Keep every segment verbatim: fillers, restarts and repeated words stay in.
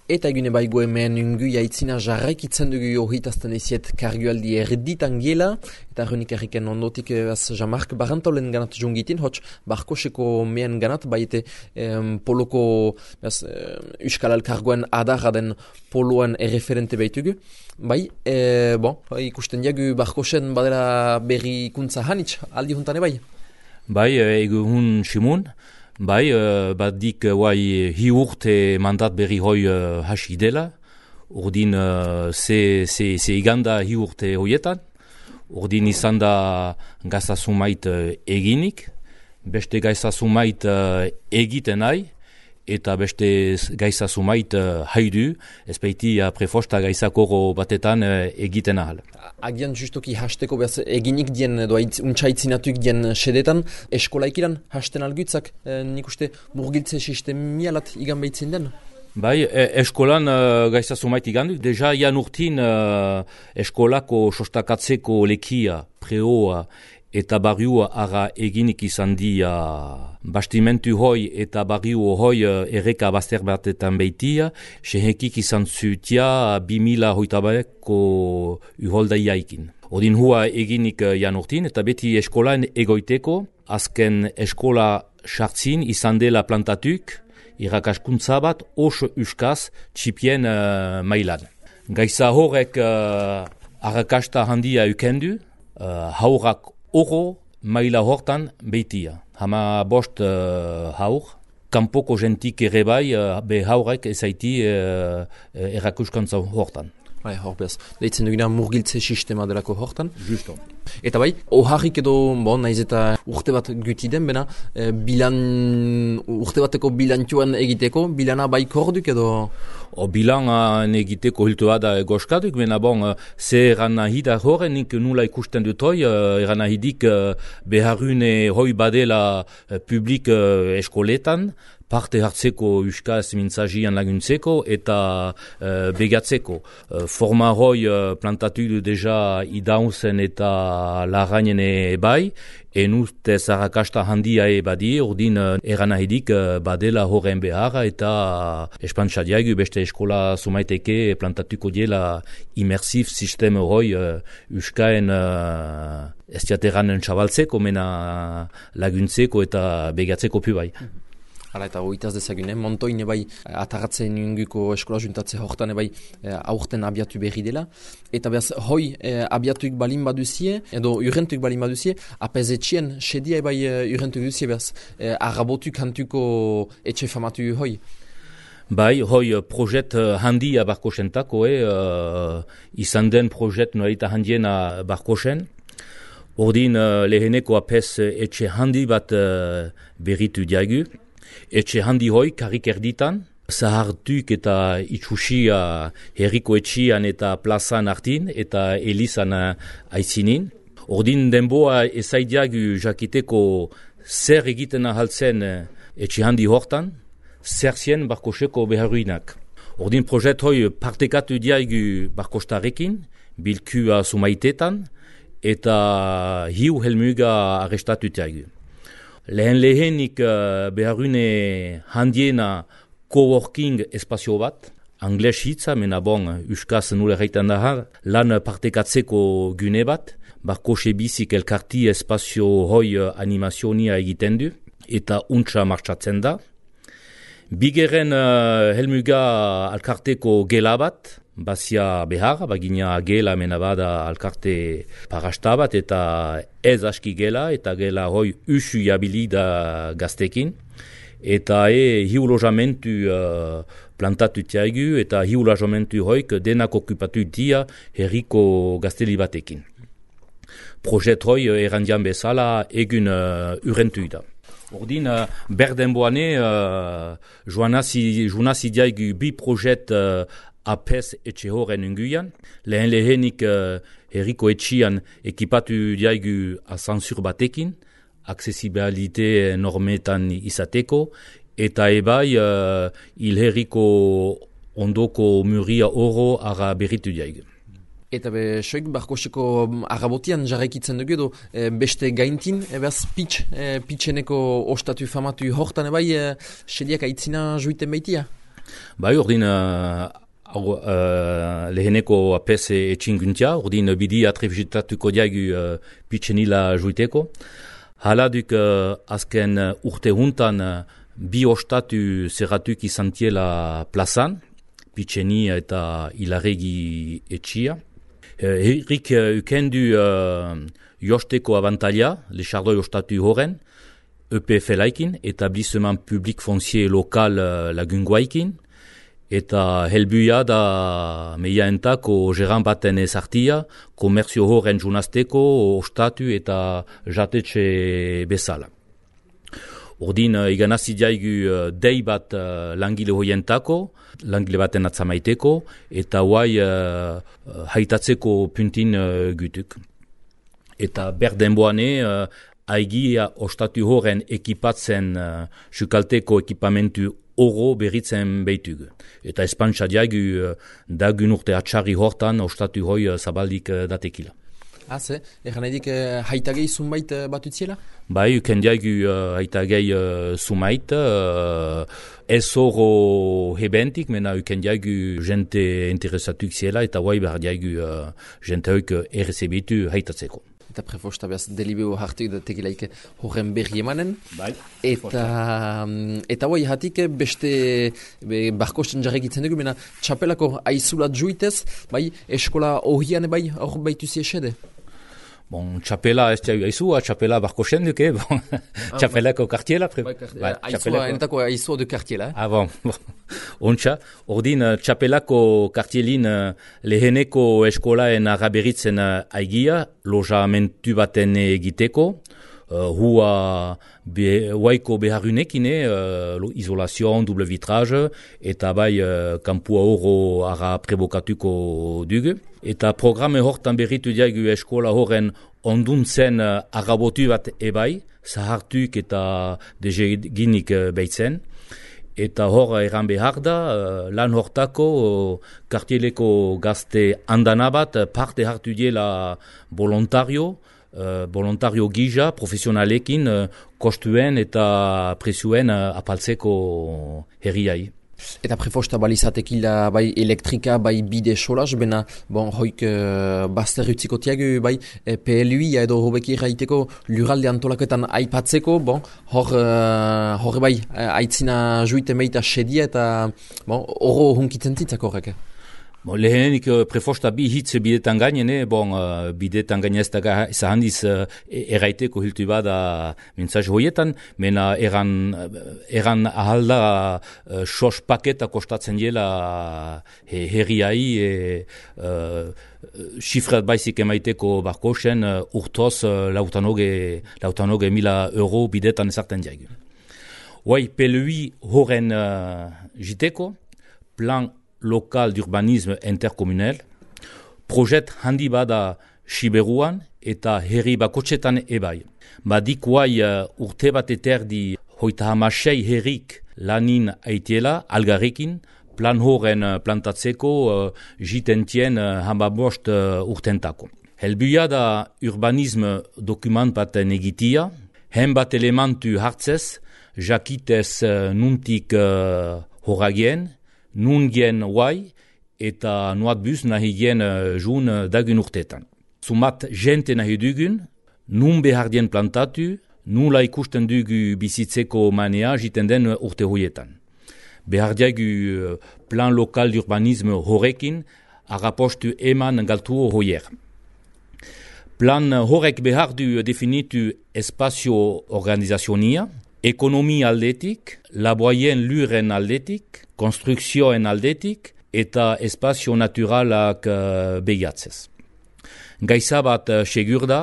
Eta egune baigu hemen ungu jaitzina jarraikitzen dugu johitazten eziet kargualdi erditan gela, eta errenik erriken ondotik az Jean-Marc Barantolen ganat jungitin, hotx barkoseko mehen ganat, baite em, poloko az, Euskal Elkargoen adarra den poloan erreferente baitugu. Bai, e, bon, ikusten diagu barkosen badera berri ikuntza hanitz, aldi juntane bai? Bai, egu hun simun. Bai, uh, bat dik guai hi urte mandat berri hoi uh, hasi dela. Urdin uh, ze, ze, ze iganda hi urte hoietan. Urdin izan da gazasumait uh, eginik. Beste gazasumait uh, egiten nahi. Eta beste gaizasumait uh, haidu, ez baiti uh, prefosta gaizakoro batetan uh, egiten ahal. Agian justoki hasteko behaz eginik dien, edo untsaitzinatuik dien sedetan, eskolaikiran hasten algutzak, e, nik uste murgiltze sistemialat igan behitzen den? Bai, e, eskolan uh, gaizasumait igan du, deja ian urtin uh, eskolako sostakatzeko lekia, preoa, eta barriua ara eginik izan dia bastimentu hoi eta barriu hoi erreka bazter batetan behitia, sehekik izan zutia bimila hoitabeko uholda iaikin. Odin hua eginik jan urtin, eta beti eskolan egoiteko, azken eskola sartzin izan dela plantatuk, irakaskuntza bat oso uskaz txipien uh, mailan. Gaiza horrek uh, arrakasta handia ukendu, uh, haurak oro maila hortan behitia. Hama bost uh, haur, kanpoko jentik ere bai uh, be haurek ezaiti uh, erakuskantza hortan. Bai, hor behaz. Deitzen dugina murgiltze sistema delako hortan. Justo. Eta bai, oharrik edo, bon, naiz eta urte bat guti den, bena, e, bilan, urte bateko bilantioan egiteko, bilana bai korduk edo? O bilan egiteko hiltua da goskaduk, bena bon, ze eran nahi da horren, nik nula ikusten dut hoi, eran nahi dik beharune hoi badela publik eskoletan, parte hartzeko euskaz mintzagian laguntzeko eta uh, begatzeko. Uh, forma hoi uh, plantatu du deja idauzen eta larrainene bai, en ustez arrakasta handia e badi, ordin uh, eran ahidik uh, badela horren beharra eta uh, espantzadiagu beste eskola sumaiteke plantatuko diela immersiv sistema hoi uh, euskaen uh, ez diateranen txabaltzeko, mena laguntzeko eta begatzeko pu bai. Hala eta hoitaz dezagune, montoine bai ataratzen inguko eskola juntatze hortan bai e, aurten abiatu berri dela. Eta behaz hoi e, abiatuik balin baduzie, edo urrentuik balin baduzie, apezetxien sedia bai urrentuik duzie behaz e, arrabotuk hantuko etxe famatu hoi. Bai, hoi projet handia barkosentako, eh, uh, izan den projet noraita handiena barkosen. Ordin uh, leheneko apes etxe handi bat uh, berritu diagu. Etxe handi hoi, karrik erditan, zahartuk eta itxusia herriko etxian eta plazan hartin eta elizan aizinin. Ordin denboa ezaidiagu jakiteko zer egiten ahaltzen etxe handi hortan, zer zien barkoseko beharruinak. Ordin projet hoi partekatu diagu barkostarekin, bilkua sumaitetan eta hiu helmuga arrestatu diagu. Lehen lehenik uh, beharune handiena coworking espazio bat, angles hitza, mena bon, euskaz nule reitan da, lan partekatzeko gune bat, barkose bizik elkarti espazio hoi animazionia egiten du, eta untsa martxatzen da. Bigeren uh, helmuga alkarteko gela bat, bazia behar, bagina gela mena bada alkarte parasta bat, eta ez aski gela, eta gela hoi usu jabili da gaztekin. Eta e hiu lojamentu uh, plantatu tiagu, eta hiu lojamentu hoik denak okupatu dia herriko gazteli batekin. Projet hoi erandian bezala egun uh, urentu da. Ordin, uh, berdenboane, uh, joanazi diagu bi projet uh, apes etxe horren unguian. Lehen lehenik uh, herriko etxian ekipatu diagu asansur batekin, aksesibilite normetan izateko, eta ebai uh, ilherriko ondoko muria oro ara berritu diagu. Eta be, soik barkoseko arrabotian jarraikitzen dugu edo e, beste gaintin, ebaz pitx, e, pitxeneko ostatu famatu hortan ebai, e, sediak aitzina juiten baitia? Bai, ordin uh, uh, leheneko apes etxinguntia, ordin bidia trefitatuko diagu uh, pitsenila juiteko. Haladuk uh, azken uh, urte huntan uh, bi ostatu zerratuk izantiela plazan, Pitseni eta Ilarregi etxia. Uh, Herrik uh, ukendu uh, josteko abantaila, lexardoi ostatu horren, E P F laikin, Etablissement Public Foncier Lokal uh, lagunguaikin, eta helbuia da meiaentako geran baten ezartia, komerzio horren junazteko, ostatu eta jatetxe bezala. Ordin, uh, iganazidiaigu uh, dei bat uh, langile hoientako, langile baten atzamaiteko, eta huai uh, uh, haitatzeko puntin uh, gutuk. Eta berdenboane, uh, aigia ostatu horren ekipatzen uh, sukalteko ekipamentu oro berritzen beitugu. Eta espantsa diagu uh, dagun urte atxarri hortan ostatu hoi uh, zabaldik uh, datekila. Ah, ze? Egan edik uh, haitagei zunbait uh, batutziela? Bai, uken diagu uh, haitagei uh, zumait, uh, ez oro hebentik, mena uken diagu jente interesatuk ziela, eta guai behar diagu uh, jente hoik uh, errezebitu haitatzeko. Eta prefosta behaz delibeo hartuk da tegilaik horren berri emanen. Bai. Eta, eta bai, hatik beste be, barkosten jarrekitzen dugu, mena txapelako aizulat juitez, bai, eskola ohian bai, hor baituzi esede? Bon, txapela ez diagu aizua, txapela barkosten duke, bon, ah, txapelako kartiela. Pre... Bai, bai, aizua, enetako aizua du kartiela. Eh? Ah, bon, bon. Ontsa, ordin txapelako kartielin leheneko eskolaen araberitzen aigia, lojamentu baten egiteko, uh, hua be, huaiko beharunekine, uh, izolazion, double vitrage, eta bai uh, kampua oro ara prebokatuko dugu. Eta programe hortan berritu diagu eskola horren onduntzen uh, arabotu bat ebai, zahartuk eta dezeginik uh, behitzen. Eta hor eran behar da, uh, lan hortako uh, kartieleko gazte andana bat parte hartu diela volontario, uh, volontario gija, profesionalekin, uh, kostuen eta presuen uh, apaltzeko herriai. Eta prefosta balizatekila bai elektrika, bai bide solas, bena bon, hoik uh, bazter utziko tiagu, bai eh, P L U I edo hobeki erraiteko lurralde antolaketan aipatzeko, bon, hor, uh, hor bai aitzina juite meita sedia eta bon, oro hunkitzen zitzak horrek. Bon, lehenik prefosta bi hitz bidetan gainene, bon, uh, bidetan gainez daga zahandiz uh, erraiteko hiltu bada mintzaz hoietan, mena eran, eran ahalda uh, sos paketa kostatzen diela he, herriai, e, uh, xifrat baizik emaiteko barkosen uh, urtoz uh, lautanoge, lautanoge mila euro bidetan ezarten diagu. Hoi, P L U I horren uh, jiteko, plan local d'urbanisme intercommunal, projet handi bada Siberuan eta herri bakotxetan ebai. Badik huai uh, urte bat eterdi hoita hamasei herrik lanin aitiela algarrekin, plan horren uh, plantatzeko uh, jitentien uh, hamabost uh, urtentako. Helbuia da urbanisme dokument baten egitia, hen bat elementu hartzez, jakitez uh, nuntik uh, horagien, nun gen huai eta nuat bus nahi gen uh, jun uh, dagun urtetan. Sumat jente nahi dugun, nun behar dien plantatu, nula ikusten dugu bizitzeko manea jiten den urte hoietan. Behar diagu uh, plan lokal d'urbanisme horrekin, arapostu eman galtu hoier. Plan horrek behar du definitu espazio organizazionia, ekonomi aldetik, laboien luren aldetik, konstrukzioen aldetik eta espazio naturalak uh, behiatzez. Gaiza bat uh, segur da,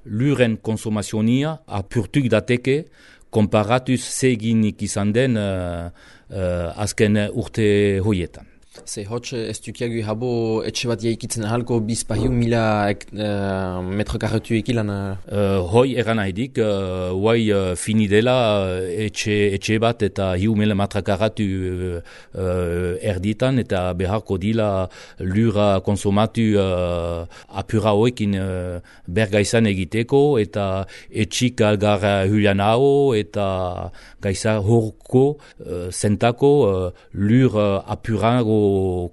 luren konsumazionia apurtuk dateke, komparatuz zeginik izan den uh, uh, azken urte hoietan. Ze hotx ez dukiagu habo etxe bat jaikitzen ahalko bizpahiu mila uh, metro karretu ekilan? Uh, hoi eran haidik, uh, huai uh, fini dela uh, etxe, etxe bat eta hiu mila metra karretu uh, uh, erditan eta beharko dila lura konsumatu uh, apura hoekin uh, bergaizan egiteko eta etxik algar hulian hau eta gaisa horko uh, zentako uh, lur uh, apurago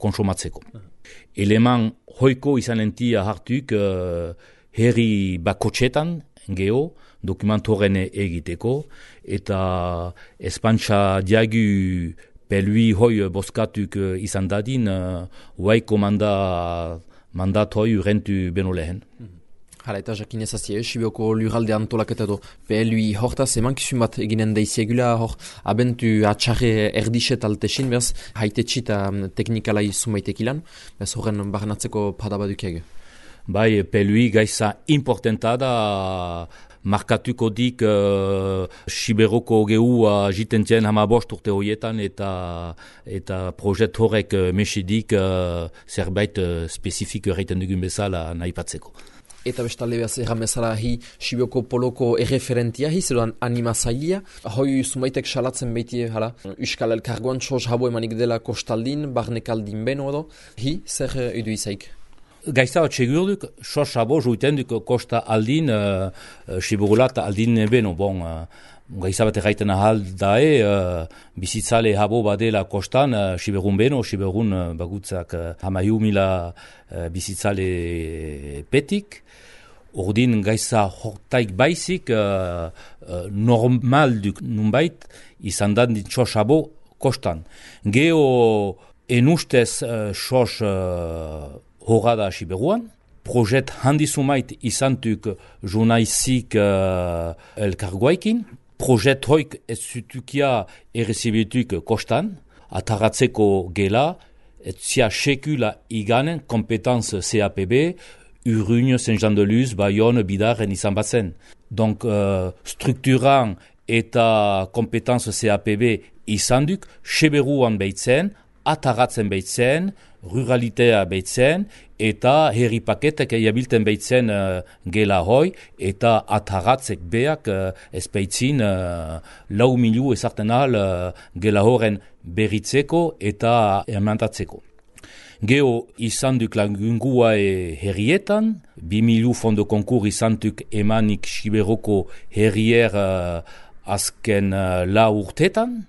konsumatzeko. Eleman hoiko izan entia hartuk uh, herri bakotxetan geho dokumentoren egiteko eta espantxa diagu pelui hoi boskatuk uh, izan dadin uh, huaiko manda, mandat hoi urentu beno lehen. Mm-hmm. Hala eta jakin ezazie, Sibioko lurralde antolaketa do P L U I hortaz, emankizun bat eginen daiziegula hor, abentu atxarre erdiset altesin, bez, haitetxi eta teknikalai sumaitek ilan, bez horren barnatzeko padabadukiag. Bai, P L U I gaiza importanta da, markatuko dik uh, Siberoko gehua jitentien hamabost urte horietan eta eta projet horrek uh, mesidik uh, zerbait uh, spezifik erraiten dugun bezala nahi patzeko. Eta bestalde behaz erran bezala hi Sibioko poloko erreferentia hi, zeruan animazailia. Hoi sumaitek salatzen behiti, hala, Euskal Elkargoan txos habo emanik dela kostaldin, barnekaldin beno edo. Hi, zer edu izaik? Gaizta bat segurduk, sos habo juiten duk kosta aldin, uh, uh, Siburulat aldin beno, bon, uh, gaizta bat erraiten ahal dae, uh, bizitzale habo badela kostan, uh, Siberun beno, Siberun uh, bagutzak uh, hamahiu mila uh, bizitzale petik. Ordin gaisa hortaik baizik uh, uh, normal duk nunbait izan da txosabo kostan. Geo enustez uh, sos uh, horada Siberuan, projet handizumait izantuk junaizik uh, elkargoaikin, projet hoik ez zutukia errezibituk kostan, ataratzeko gela, ez zia sekula iganen kompetanz C A P B, Urrugne, Saint-Jean-de-Luz, Bayonne, Bidaren izan batzen. Donc, uh, strukturan eta kompetanz C A P B izan duk, Siberuan behitzen, ataratzen behitzen, ruralitea behitzen, eta herri paketek jabilten behitzen uh, gela hoi, eta ataratzek beak uh, ez behitzin uh, lau miliu ezarten ahal uh, gela horren berritzeko eta emantatzeko. Geo izan duk lagungua e herrietan, bi milu fondo konkur izan duk emanik Siberoko herrier uh, azken uh, la urtetan.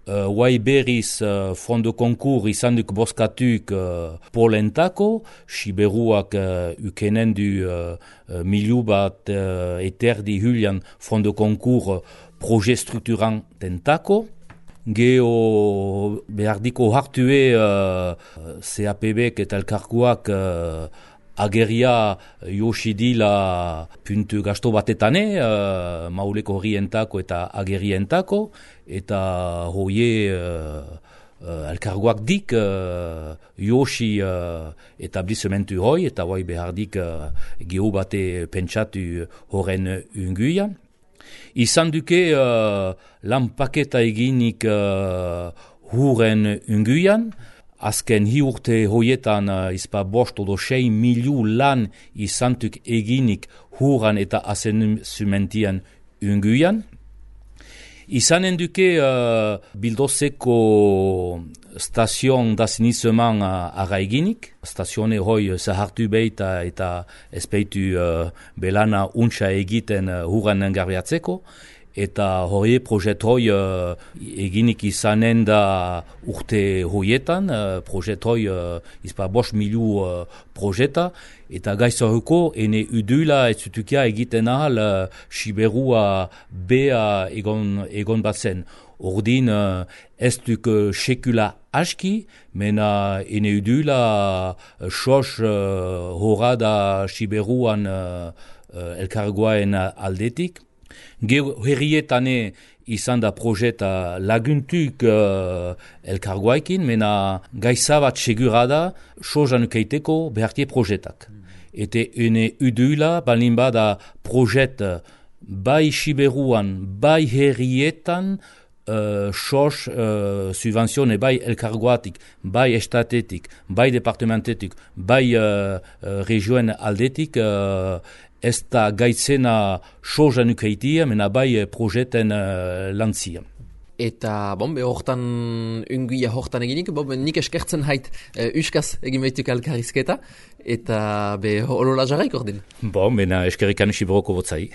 Uh, Huai berriz uh, fondo konkur izan duk boskatuk uh, polentako, Siberuak uh, ukenen du uh, uh, milu bat uh, eterdi hulian fondo konkur uh, proje strukturan tentako. Geo behardiko hartue uh, C A P B eta elkarkuak uh, ageria josidila puntu gasto batetane, uh, mauleko horrientako eta agerientako, eta hoie uh, uh, elkarguak dik uh, josi uh, etablisementu hoi, eta hoi behardik uh, geho bate pentsatu horren unguian. Izan duke uh, lan paketa eginik uh, huren unguian, azken hi urte hoietan uh, izpa bost odo sei miliu lan izantuk eginik huran eta asenumentian unguian. Izanen duke uh, bildozeko stazion dasinizeman uh, ara eginik. Stazione hoi uh, zahartu behita eta espeitu uh, belana untsa egiten uh, huran engarbiatzeko. Eta hori projet hoi uh, eginik izanen da urte hoietan, uh, projet hoi uh, izpa bost miliu uh, projeta, eta gaizoreko ene udula ez zutukia egiten ahal uh, Siberua bea egon, egon batzen. Ordin uh, ez duk uh, sekula aski, mena ene udula uh, sos uh, horada Siberuan uh, uh, elkargoaen aldetik. Gero herrietane izan da projeta laguntuk uh, elkargoaikin, mena gaiza bat segura da sozan ukeiteko behartie projetak. Ete ene udula balin bada projet bai Siberuan, bai herrietan uh, sos uh, subvenzione bai elkargoatik, bai estatetik, bai departamentetik, bai uh, uh, regionen aldetik, uh, ez da gaitzena sosa nukeitia, mena bai projeten uh, lantzia. Eta, bon, be hortan, unguia hortan eginik, bon, nik eskertzen hait uh, uskaz egin behituk elkarrizketa, eta be holola jarraik ordin. Bon, mena eskerrikan sibroko botzai.